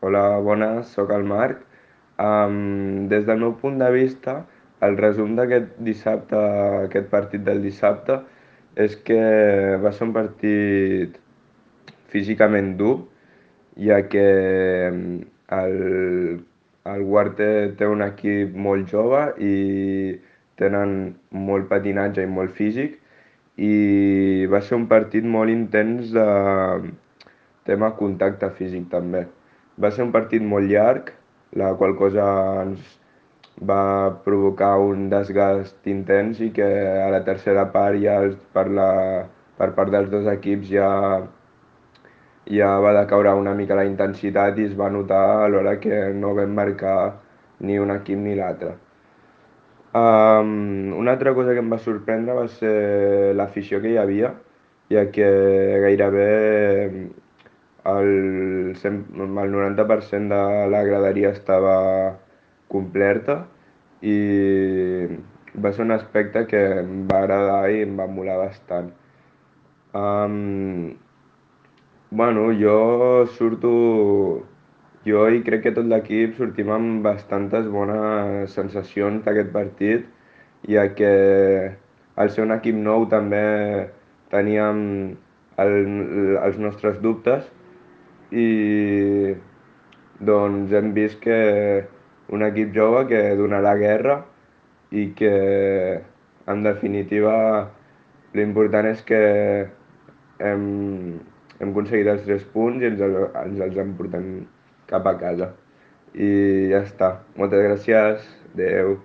Hola, bones, sóc el Marc. Des del meu punt de vista, el resum d'aquest dissabte, aquest partit del dissabte, és que va ser un partit físicament dur, ja que el Huarte té un equip molt jove i tenen molt patinatge i molt físic, i va ser un partit molt intens de tema contacte físic també. Va ser un partit molt llarg, la qual cosa ens va provocar un desgast intens i que a la tercera part ja per part dels dos equips ja va decaure una mica la intensitat i es va notar a l'hora que no vam marcar ni un equip ni l'altre. Una altra cosa que em va sorprendre va ser l'afició que hi havia, ja que gairebé el 90% de la graderia estava completa i va ser un aspecte que em va agradar i em va molar bastant. Um, Bueno, jo i crec que tot l'equip sortim amb bastantes bones sensacions d'aquest partit, ja que al ser un equip nou també teníem els nostres dubtes i doncs hem vist que un equip jove que donarà guerra i que en definitiva l'important és que hem, hem aconseguit els 3 punts i ens els emportem cap a casa. I ja està. Moltes gràcies. Adeu.